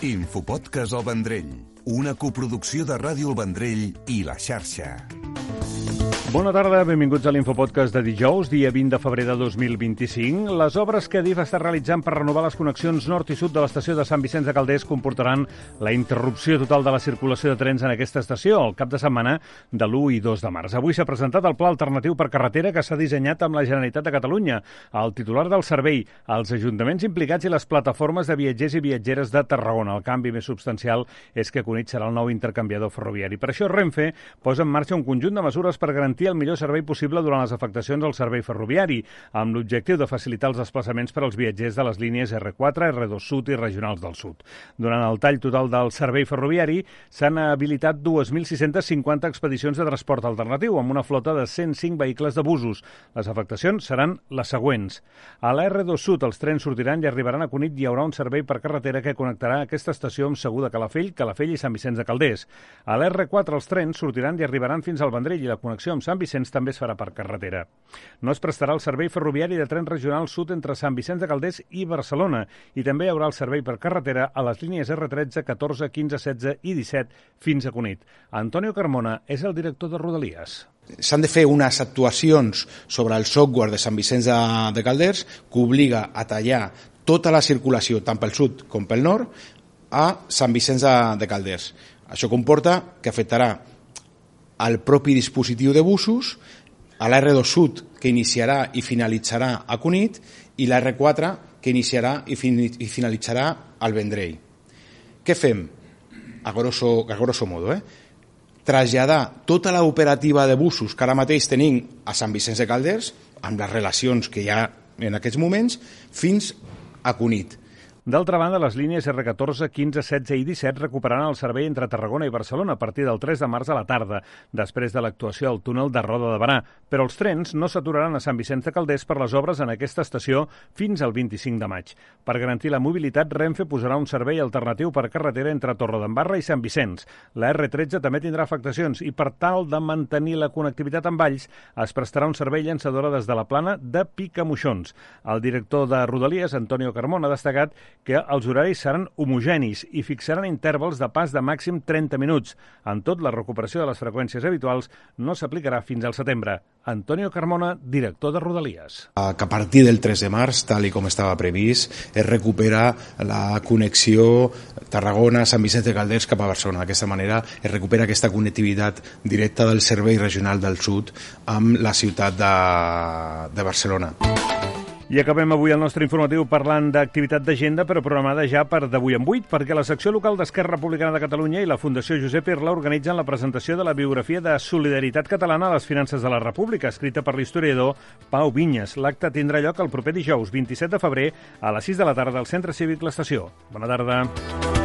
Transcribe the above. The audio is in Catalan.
Infopodcast El Vendrell, una coproducció de Ràdio El Vendrell i La Xarxa. Bona tarda, benvinguts a l'Infopodcast de dijous, dia 20 de febrer de 2025. Les obres que Adif està realitzant per renovar les connexions nord i sud de l'estació de Sant Vicenç de Calders comportaran la interrupció total de la circulació de trens en aquesta estació el cap de setmana de l'1 i 2 de març. Avui s'ha presentat el pla alternatiu per carretera que s'ha dissenyat amb la Generalitat de Catalunya, el titular del servei, els ajuntaments implicats i les plataformes de viatgers i viatgeres de Tarragona. El canvi més substancial és que Cunit serà el nou intercanviador ferroviari. Per això Renfe posa en marxa un conjunt de mesures per garantir el millor servei possible durant les afectacions al servei ferroviari, amb l'objectiu de facilitar els desplaçaments per als viatgers de les línies R4, R2 Sud i regionals del Sud. Durant el tall total del servei ferroviari s'han habilitat 2.650 expedicions de transport alternatiu, amb una flota de 105 vehicles de busos. Les afectacions seran les següents. A la R2 Sud els trens sortiran i arribaran a Cunit i hi haurà un servei per carretera que connectarà aquesta estació amb Segur de Calafell, Calafell i Sant Vicenç de Calders. A la R4 els trens sortiran i arribaran fins al Vendrell i la connexió amb Sant Vicenç també es farà per carretera. No es prestarà el servei ferroviari de tren regional sud entre Sant Vicenç de Calders i Barcelona i també hi haurà el servei per carretera a les línies R13, 14, 15, 16 i 17 fins a Cunit. Antonio Carmona és el director de Rodalies. S'han de fer unes actuacions sobre el software de Sant Vicenç de Calders que obliga a tallar tota la circulació, tant pel sud com pel nord, a Sant Vicenç de Calders. Això comporta que afectarà al propi dispositiu de busos, a la R2 Sud, que iniciarà i finalitzarà a Cunit, i la R4, que iniciarà i finalitzarà al Vendrell. Què fem? A grosso modo, traslladar tota l'operativa de busos que ara mateix tenim a Sant Vicenç de Calders, amb les relacions que hi ha en aquests moments, fins a Cunit. D'altra banda, les línies R14, 15, 16 i 17 recuperaran el servei entre Tarragona i Barcelona a partir del 3 de març a la tarda, després de l'actuació al túnel de Roda de Barà. Però els trens no s'aturaran a Sant Vicenç de Calders per les obres en aquesta estació fins al 25 de maig. Per garantir la mobilitat, Renfe posarà un servei alternatiu per carretera entre Torredembarra i Sant Vicenç. La R13 també tindrà afectacions i, per tal de mantenir la connectivitat amb Valls, es prestarà un servei llançadora des de la Plana de Picamoixons. El director de Rodalies, Antonio Carmona, ha destacat que els horaris seran homogenis i fixaran intervals de pas de màxim 30 minuts. En tot, la recuperació de les freqüències habituals no s'aplicarà fins al setembre. Antonio Carmona, director de Rodalies. Que a partir del 3 de març, tal i com estava previst, es recupera la connexió Tarragona-Sant Vicenç de Calders cap a Barcelona. D'aquesta manera es recupera aquesta connectivitat directa del servei regional del sud amb la ciutat de Barcelona. I acabem avui el nostre informatiu parlant d'activitat d'agenda, però programada ja per d'avui en 8, perquè la secció local d'Esquerra Republicana de Catalunya i la Fundació Josep Irla organitzen la presentació de la biografia de Solidaritat Catalana a les finances de la República, escrita per l'historiador Pau Vinyes. L'acte tindrà lloc el proper dijous, 27 de febrer, a les 6 de la tarda al Centre Cívic L'Estació. Bona tarda.